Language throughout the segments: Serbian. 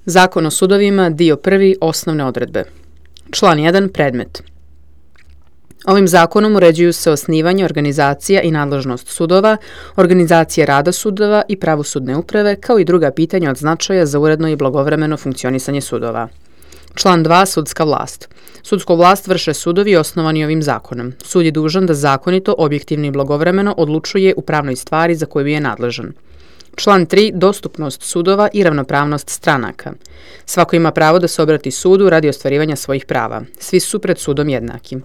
Zakon o sudovima, dio 1. Osnovne odredbe. Član 1. Predmet. Ovim zakonom uređuju se osnivanje, organizacija i nadležnost sudova, organizacija rada sudova i pravosudne uprave, kao i druga pitanja od značaja za uredno i blagovremeno funkcionisanje sudova. Član 2. Sudska vlast. Sudsku vlast vrše sudovi osnovani ovim zakonom. Sud je dužan da zakonito, objektivno i blagovremeno odlučuje u pravnoj stvari za koju je nadležan. Član 3. Dostupnost sudova i ravnopravnost stranaka. Svako ima pravo da se obrati sudu radi ostvarivanja svojih prava. Svi su pred sudom jednaki.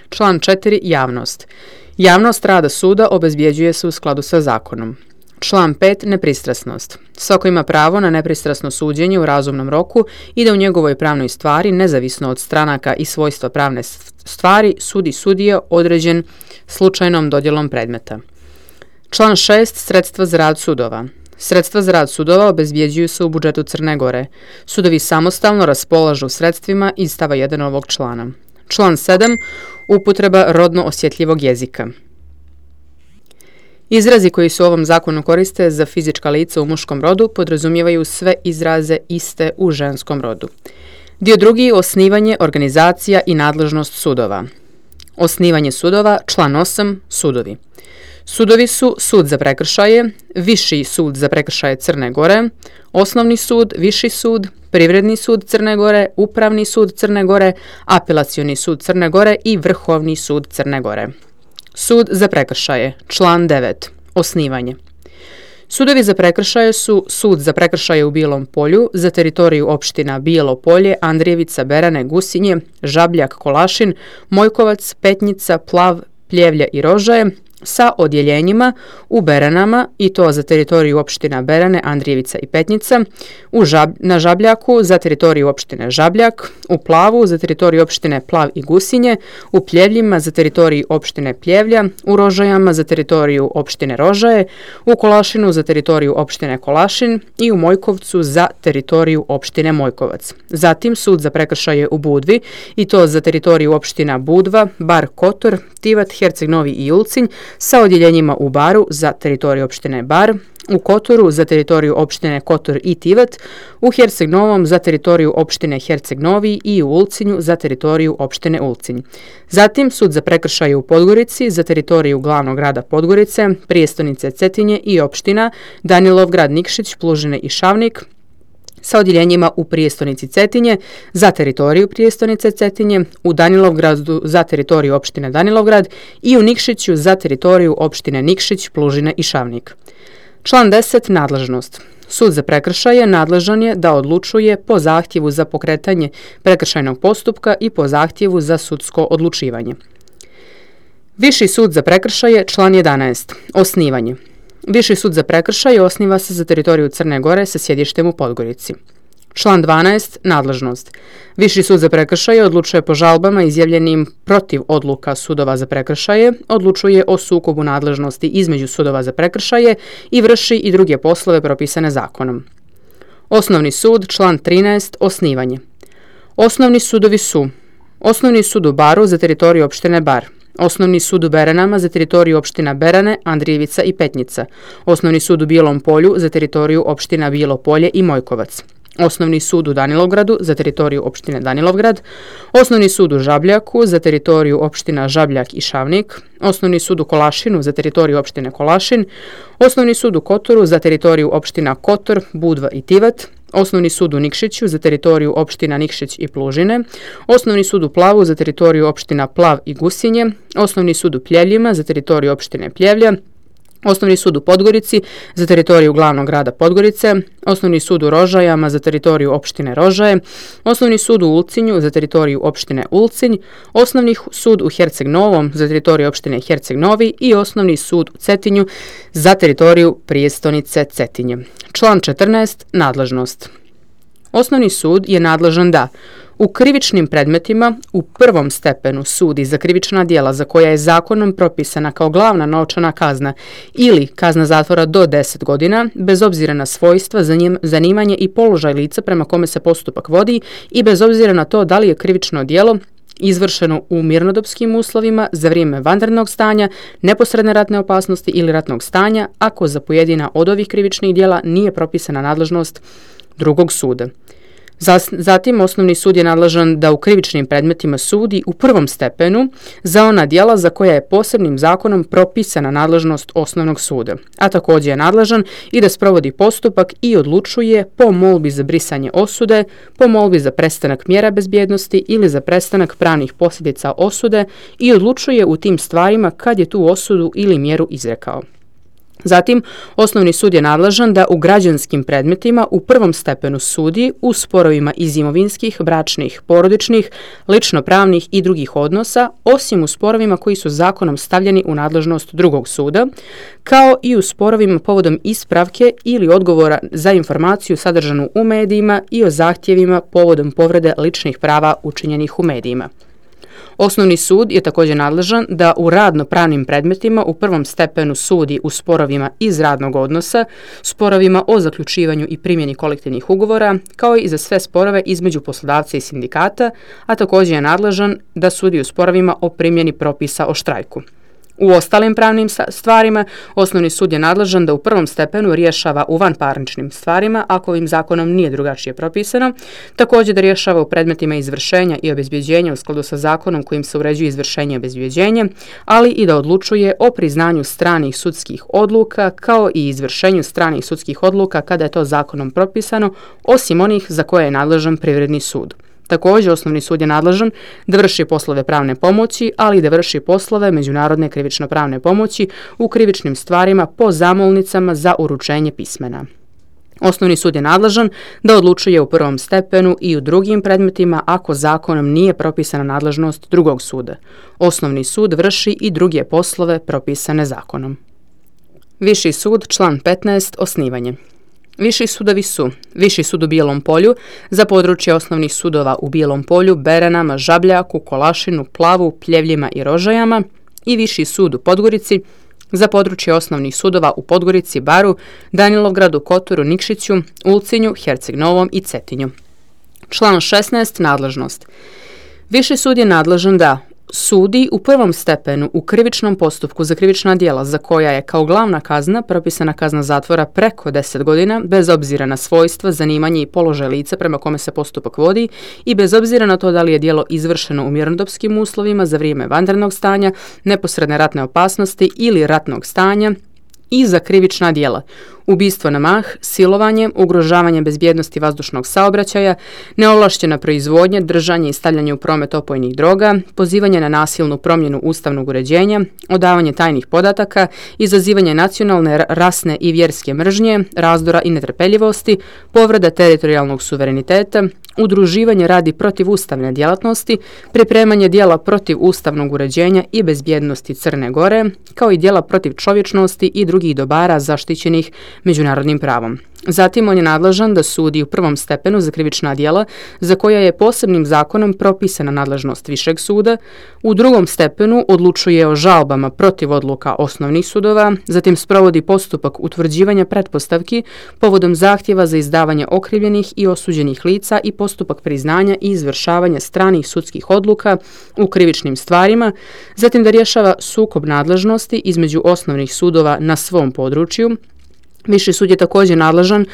Član 4. Javnost. Javnost rada suda obezbjeđuje se u skladu sa zakonom. Član 5. Nepristrasnost. Svako ima pravo na nepristrasno suđenje u razumnom roku i da u njegovoj pravnoj stvari, nezavisno od stranaka i svojstva pravne stvari, sudi sudija određen slučajnom dodjelom predmeta. Član 6. Sredstva za rad sudova. Sredstva za rad sudova obezbjeđuju se u budžetu Crne Gore. Sudovi samostalno raspolažu sredstvima iz stava 1 ovog člana. Član 7. Upotreba rodno osjetljivog jezika. Izrazi koji se u ovom zakonu koriste za fizička lica u muškom rodu podrazumijevaju sve izraze iste u ženskom rodu. Dio 2. Osnivanje, organizacija i nadležnost sudova. Osnivanje sudova. Član 8. Sudovi. Sudovi su sud za prekršaje, Viši sud za prekršaje Crne Gore, Osnovni sud, Viši sud, Privredni sud Crne Gore, Upravni sud Crne Gore, Apelacioni sud Crne Gore i Vrhovni sud Crne Gore. Sud za prekršaje. Član 9. Osnivanje. Sudovi za prekršaje su sud za prekršaje u Bijelom Polju za teritoriju opština Bijelo Polje, Andrijevica, Berane, Gusinje, Žabljak, Kolašin, Mojkovac, Petnica, Plav, Pljevlja i Rožaje, sa odjeljenjima u Beranama, i to za teritoriju opština Berane, Andrijevica i Petnica, na Žabljaku za teritoriju opštine Žabljak, u Plavu za teritoriju opštine Plav i Gusinje, u Pljevljima za teritoriju opštine Pljevlja, u Rožajama za teritoriju opštine Rožaje, u Kolašinu za teritoriju opštine Kolašin i u Mojkovcu za teritoriju opštine Mojkovac. Zatim sud za prekršaje u Budvi, i to za teritoriju opština Budva, Bar, Kotor, Tivat, Herceg Novi i Ulcinj, sa odjeljenjima u Baru za teritoriju opštine Bar, u Kotoru za teritoriju opštine Kotor i Tivat, u Herceg Novom za teritoriju opštine Herceg Novi i u Ulcinju za teritoriju opštine Ulcinj. Zatim sud za prekršaje u Podgorici za teritoriju glavnog grada Podgorice, prijestonice Cetinje i opština Danilovgrad, Nikšić, Plužine i Šavnik, sa odjeljenjima u prijestonici Cetinje za teritoriju prijestonice Cetinje, u Danilovgradu za teritoriju opštine Danilovgrad i u Nikšiću za teritoriju opštine Nikšić, Plužine i Šavnik. Član 10. Nadležnost. Sud za prekršaje nadležan je da odlučuje po zahtjevu za pokretanje prekršajnog postupka i po zahtjevu za sudsko odlučivanje. Viši sud za prekršaje. Član 11. Osnivanje. Viši sud za prekršaje osniva se za teritoriju Crne Gore sa sjedištem u Podgorici. Član 12. Nadležnost. Viši sud za prekršaje odlučuje po žalbama izjavljenim protiv odluka sudova za prekršaje, odlučuje o sukobu nadležnosti između sudova za prekršaje i vrši i druge poslove propisane zakonom. Osnovni sud. Član 13. Osnivanje. Osnovni sudovi su: Osnovni sud u Baru za teritoriju opštine Bar, Osnovni sud u Beranama za teritoriju opština Berane, Andrijevica i Petnica, Osnovni sud u Bijelom Polju za teritoriju opština Bijelo Polje i Mojkovac, Osnovni sud u Danilovgradu za teritoriju opštine Danilovgrad, Osnovni sud u Žabljaku za teritoriju opština Žabljak i Šavnik, Osnovni sud u Kolašinu za teritoriju opštine Kolašin, Osnovni sud u Kotoru za teritoriju opština Kotor, Budva i Tivat, Osnovni sud u Nikšiću za teritoriju opština Nikšić i Plužine, Osnovni sud u Plavu za teritoriju opština Plav i Gusinje, Osnovni sud u Pljevljima za teritoriju opštine Pljevlja, Osnovni sud u Podgorici za teritoriju glavnog grada Podgorice, Osnovni sud u Rožajama za teritoriju opštine Rožaje, Osnovni sud u Ulcinju za teritoriju opštine Ulcinj, Osnovni sud u Herceg Novom za teritoriju opštine Herceg Novi i Osnovni sud u Cetinju za teritoriju prijestonice Cetinje. Član 14. Nadležnost. Osnovni sud je nadležan da u krivičnim predmetima u prvom stepenu sudi za krivična djela za koja je zakonom propisana kao glavna novčana kazna ili kazna zatvora do 10 godina, bez obzira na svojstva, zanimanje i položaj lica prema kome se postupak vodi i bez obzira na to da li je krivično djelo izvršeno u mirnodopskim uslovima za vrijeme vanrednog stanja, neposredne ratne opasnosti ili ratnog stanja, ako za pojedina od ovih krivičnih djela nije propisana nadležnost drugog suda. Zatim, osnovni sud je nadležan da u krivičnim predmetima sudi u prvom stepenu za ona djela za koja je posebnim zakonom propisana nadležnost osnovnog suda, a također je nadležan i da sprovodi postupak i odlučuje po molbi za brisanje osude, po molbi za prestanak mjera bezbjednosti ili za prestanak pravnih posljedica osude i odlučuje u tim stvarima kad je tu osudu ili mjeru izrekao. Zatim, osnovni sud je nadležan da u građanskim predmetima u prvom stepenu sudi u sporovima iz imovinskih, bračnih, porodičnih, lično-pravnih i drugih odnosa, osim u sporovima koji su zakonom stavljeni u nadležnost drugog suda, kao i u sporovima povodom ispravke ili odgovora za informaciju sadržanu u medijima i o zahtjevima povodom povrede ličnih prava učinjenih u medijima. Osnovni sud je također nadležan da u radno-pravnim predmetima u prvom stepenu sudi u sporovima iz radnog odnosa, sporovima o zaključivanju i primjeni kolektivnih ugovora, kao i za sve sporove između poslodavca i sindikata, a također je nadležan da sudi u sporovima o primjeni propisa o štrajku. U ostalim pravnim stvarima, osnovni sud je nadležan da u prvom stepenu rješava u vanparničnim stvarima, ako ovim zakonom nije drugačije propisano, također da rješava u predmetima izvršenja i obezbjeđenja u skladu sa zakonom kojim se uređuje izvršenje i obezbjeđenje, ali i da odlučuje o priznanju stranih sudskih odluka, kao i izvršenju stranih sudskih odluka kada je to zakonom propisano, osim onih za koje je nadležan privredni sud. Također, osnovni sud je nadležan da vrši poslove pravne pomoći, ali i da vrši poslove međunarodne krivično-pravne pomoći u krivičnim stvarima po zamolnicama za uručenje pismena. Osnovni sud je nadležan da odlučuje u prvom stepenu i u drugim predmetima ako zakonom nije propisana nadležnost drugog suda. Osnovni sud vrši i druge poslove propisane zakonom. Viši sud, član 15, osnivanje. Viši sudovi su Viši sud u Bijelom Polju za područje osnovnih sudova u Bijelom Polju, Beranama, Žabljaku, Kolašinu, Plavu, Pljevljima i Rožajama i Viši sud u Podgorici za područje osnovnih sudova u Podgorici, Baru, Danilovgradu, Kotoru, Nikšiću, Ulcinju, Herceg Novom i Cetinju. Član 16. Nadležnost. Viši sud je nadležan da sudi u prvom stepenu u krivičnom postupku za krivična djela za koja je kao glavna kazna propisana kazna zatvora preko 10 godina, bez obzira na svojstva, zanimanje i položaj lica prema kome se postupak vodi i bez obzira na to da li je djelo izvršeno u mirnodopskim uslovima za vrijeme vanrednog stanja, neposredne ratne opasnosti ili ratnog stanja i za krivična djela: ubistvo na mah, silovanje, ugrožavanje bezbjednosti vazdušnog saobraćaja, neovlaštena proizvodnja, držanje i stavljanje u promet opojnih droga, pozivanje na nasilnu promjenu ustavnog uređenja, odavanje tajnih podataka, izazivanje nacionalne, rasne i vjerske mržnje, razdora i netrpeljivosti, povreda teritorijalnog suvereniteta, udruživanje radi protivustavne djelatnosti, pripremanje djela protiv ustavnog uređenja i bezbjednosti Crne Gore, kao i djela protiv čovječnosti i drugih dobara zaštićenih međunarodnim pravom. Zatim on je nadležan da sudi u prvom stepenu za krivična djela za koja je posebnim zakonom propisana nadležnost višeg suda, u drugom stepenu odlučuje o žalbama protiv odluka osnovnih sudova, zatim sprovodi postupak utvrđivanja pretpostavki povodom zahtjeva za izdavanje okrivljenih i osuđenih lica i postupak priznanja i izvršavanja stranih sudskih odluka u krivičnim stvarima, zatim da rješava sukob nadležnosti između osnovnih sudova na svom području. Viši sud je također nadležan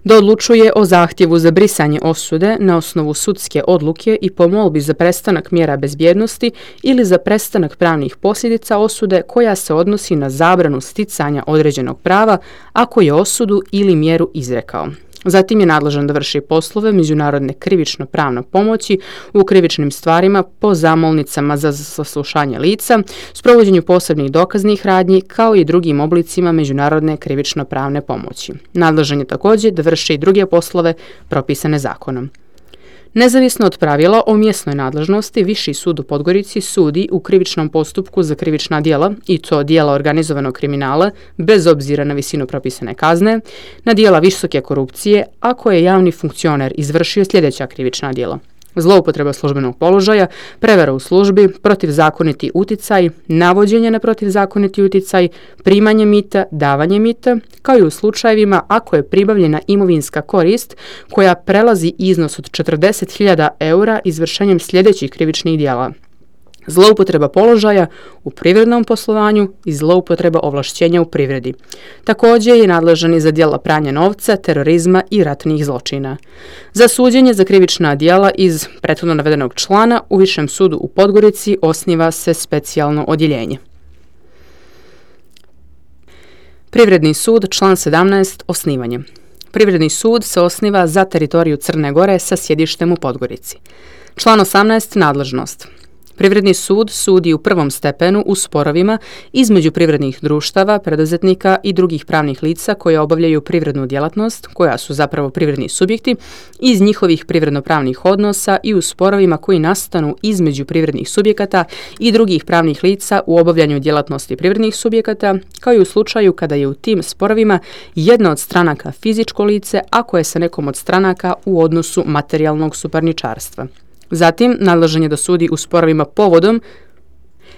da odlučuje o zahtjevu za brisanje osude na osnovu sudske odluke i po molbi za prestanak mjera bezbjednosti ili za prestanak pravnih posljedica osude koja se odnosi na zabranu sticanja određenog prava ako je osudu ili mjeru izrekao. Zatim je nadležan da vrši poslove međunarodne krivično-pravne pomoći u krivičnim stvarima po zamolnicama za saslušanje lica, sprovođenju posebnih dokaznih radnji kao i drugim oblicima međunarodne krivično-pravne pomoći. Nadležan je također da vrši i druge poslove propisane zakonom. Nezavisno od pravila o mjesnoj nadležnosti, Viši sud u Podgorici sudi u krivičnom postupku za krivična djela, i to djela organizovanog kriminala, bez obzira na visinu propisane kazne, na djela visoke korupcije, ako je javni funkcioner izvršio sljedeća krivična djela: zloupotreba službenog položaja, prevara u službi, protivzakoniti uticaj, navođenje na protivzakoniti uticaj, primanje mita, davanje mita, kao i u slučajevima ako je pribavljena imovinska korist koja prelazi iznos od 40.000 eura izvršenjem sljedećih krivičnih djela: zloupotreba položaja u privrednom poslovanju i zloupotreba ovlašćenja u privredi. Također je nadležan i za djela pranja novca, terorizma i ratnih zločina. Za suđenje za krivična djela iz prethodno navedenog člana u Višem sudu u Podgorici osniva se specijalno odjeljenje. Privredni sud, član 17, osnivanje. Privredni sud se osniva za teritoriju Crne Gore sa sjedištem u Podgorici. Član 18, nadležnost. Privredni sud sudi u prvom stepenu u sporovima između privrednih društava, preduzetnika i drugih pravnih lica koja obavljaju privrednu djelatnost, koja su zapravo privredni subjekti, iz njihovih privredno-pravnih odnosa i u sporovima koji nastanu između privrednih subjekata i drugih pravnih lica u obavljanju djelatnosti privrednih subjekata, kao i u slučaju kada je u tim sporovima jedna od stranaka fizičko lice, ako je sa nekom od stranaka u odnosu materijalnog suparničarstva. Zatim, nadležan je da sudi u sporovima povodom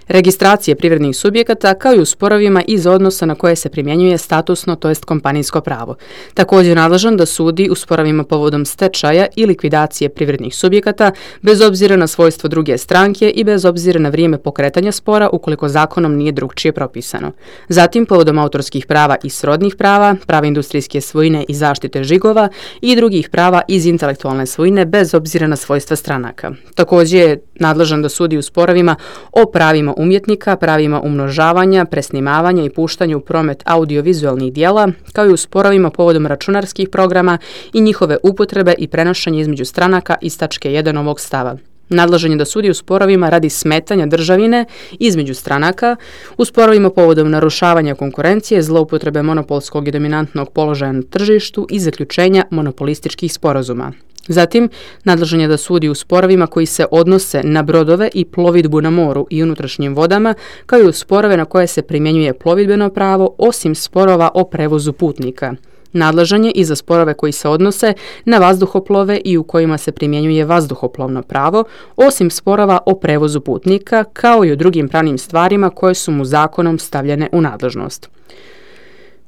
registracije privrednih subjekata kao i u sporovima iz odnosa na koje se primjenjuje statusno, to jest kompanijsko pravo. Također je nadležan da sudi u sporovima povodom stečaja i likvidacije privrednih subjekata bez obzira na svojstvo druge stranke i bez obzira na vrijeme pokretanja spora ukoliko zakonom nije drugčije propisano. Zatim, povodom autorskih prava i srodnih prava, prava industrijske svojine i zaštite žigova i drugih prava iz intelektualne svojine bez obzira na svojstva stranaka. Također je nadležan da sudi u sporovima o pravima umjetnika, pravima umnožavanja, presnimavanja i puštanja u promet audiovizualnih dijela, kao i u sporovima povodom računarskih programa i njihove upotrebe i prenošenja između stranaka iz tačke 1 ovog stava. Nadležan je da sudi u sporovima radi smetanja državine između stranaka, u sporovima povodom narušavanja konkurencije, zloupotrebe monopolskog i dominantnog položaja na tržištu i zaključenja monopolističkih sporazuma. Zatim, nadležan je da sudi u sporovima koji se odnose na brodove i plovidbu na moru i unutrašnjim vodama, kao i u sporove na koje se primjenjuje plovidbeno pravo, osim sporova o prevozu putnika. Nadležan je i za sporove koji se odnose na vazduhoplove i u kojima se primjenjuje vazduhoplovno pravo, osim sporova o prevozu putnika, kao i o drugim pravnim stvarima koje su mu zakonom stavljene u nadležnost.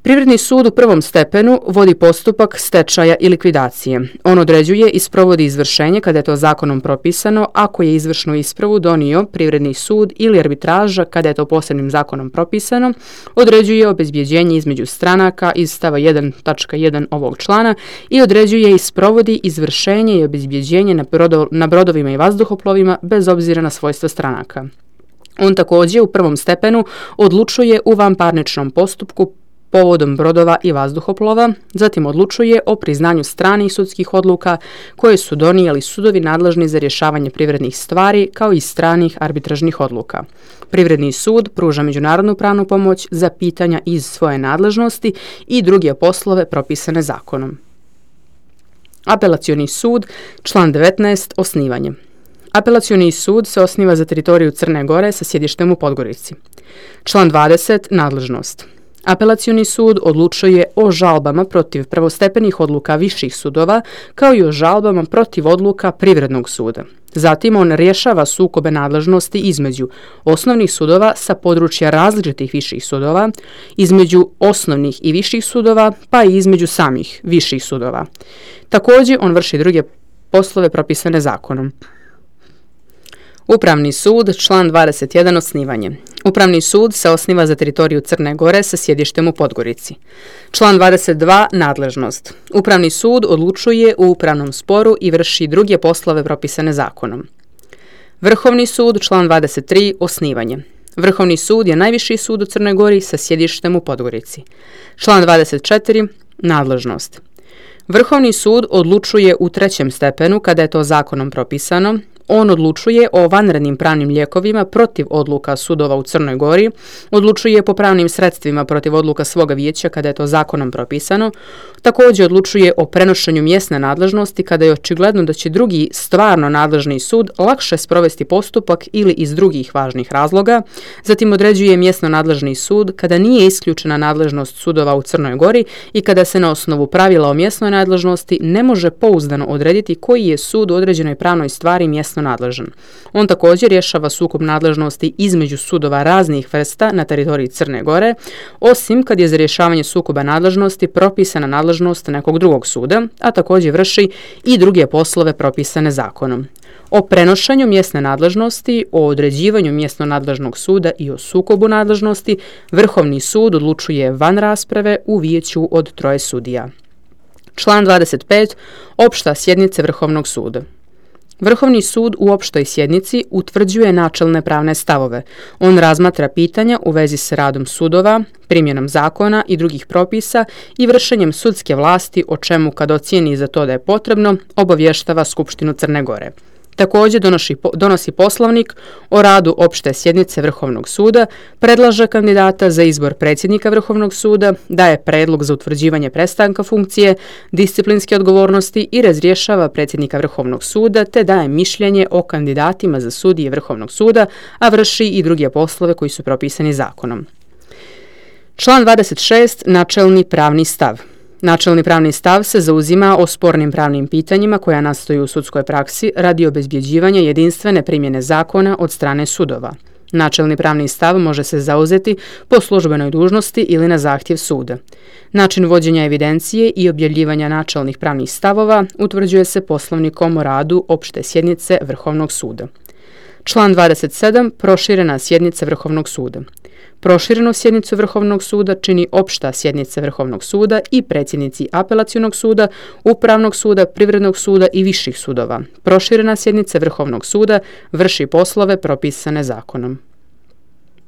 Privredni sud u prvom stepenu vodi postupak stečaja i likvidacije. On određuje i sprovodi izvršenje kada je to zakonom propisano, ako je izvršnu ispravu donio privredni sud ili arbitraža kada je to posebnim zakonom propisano, određuje obezbjeđenje između stranaka iz stava 1.1 ovog člana i određuje i sprovodi izvršenje i obezbjeđenje na brodovima i vazduhoplovima bez obzira na svojstva stranaka. On također u prvom stepenu odlučuje u vanparničnom postupku povodom brodova i vazduhoplova, zatim odlučuje o priznanju stranih sudskih odluka koje su donijeli sudovi nadležni za rješavanje privrednih stvari kao i stranih arbitražnih odluka. Privredni sud pruža međunarodnu pravnu pomoć za pitanja iz svoje nadležnosti i druge poslove propisane zakonom. Apelacioni sud, član 19, osnivanje. Apelacioni sud se osniva za teritoriju Crne Gore sa sjedištem u Podgorici. Član 20, nadležnost. Apelacioni sud odlučuje o žalbama protiv prvostepenih odluka viših sudova, kao i o žalbama protiv odluka privrednog suda. Zatim on rješava sukobe nadležnosti između osnovnih sudova sa područja različitih viših sudova, između osnovnih i viših sudova, pa i između samih viših sudova. Također on vrši druge poslove propisane zakonom. Upravni sud, član 21, osnivanje. Upravni sud se osniva za teritoriju Crne Gore sa sjedištem u Podgorici. Član 22, nadležnost. Upravni sud odlučuje u upravnom sporu i vrši druge poslove propisane zakonom. Vrhovni sud, član 23, osnivanje. Vrhovni sud je najviši sud u Crnoj Gori sa sjedištem u Podgorici. Član 24, nadležnost. Vrhovni sud odlučuje u trećem stepenu kada je to zakonom propisano. On odlučuje o vanrednim pravnim lijekovima protiv odluka sudova u Crnoj Gori, odlučuje po pravnim sredstvima protiv odluka svoga vijeća kada je to zakonom propisano, također odlučuje o prenošenju mjesne nadležnosti kada je očigledno da će drugi stvarno nadležni sud lakše sprovesti postupak ili iz drugih važnih razloga, zatim određuje mjesno nadležni sud kada nije isključena nadležnost sudova u Crnoj Gori i kada se na osnovu pravila o mjesnoj nadležnosti ne može pouzdano odrediti koji je sud u određenoj pravnoj stvari mjesno mjesno nadležan. On također rješava sukob nadležnosti između sudova raznih vrsta na teritoriji Crne Gore, osim kad je za rješavanje sukoba nadležnosti propisana nadležnost nekog drugog suda, a također vrši i druge poslove propisane zakonom. O prenošenju mjesne nadležnosti, o određivanju mjesno nadležnog suda i o sukobu nadležnosti Vrhovni sud odlučuje van rasprave u vijeću od 3 sudija. Član 25. Opšta sjednica Vrhovnog suda. Vrhovni sud u opštoj sjednici utvrđuje načelne pravne stavove. On razmatra pitanja u vezi s radom sudova, primjenom zakona i drugih propisa i vršenjem sudske vlasti, o čemu kad ocijeni za to da je potrebno, obavještava Skupštinu Crne Gore. Također donosi poslovnik o radu opšte sjednice Vrhovnog suda, predlaže kandidata za izbor predsjednika Vrhovnog suda, daje predlog za utvrđivanje prestanka funkcije, disciplinske odgovornosti i razrješava predsjednika Vrhovnog suda, te daje mišljenje o kandidatima za sudije Vrhovnog suda, a vrši i druge poslove koji su propisani zakonom. Član 26. Načelni pravni stav. Načelni pravni stav se zauzima o spornim pravnim pitanjima koja nastaju u sudskoj praksi radi obezbjeđivanja jedinstvene primjene zakona od strane sudova. Načelni pravni stav može se zauzeti po službenoj dužnosti ili na zahtjev suda. Način vođenja evidencije i objavljivanja načelnih pravnih stavova utvrđuje se poslovnikom o radu opšte sjednice Vrhovnog suda. Član 27. Proširena sjednica Vrhovnog suda. Proširenu sjednicu Vrhovnog suda čini opšta sjednica Vrhovnog suda i predsjednici apelacionog suda, upravnog suda, privrednog suda i viših sudova. Proširena sjednica Vrhovnog suda vrši poslove propisane zakonom.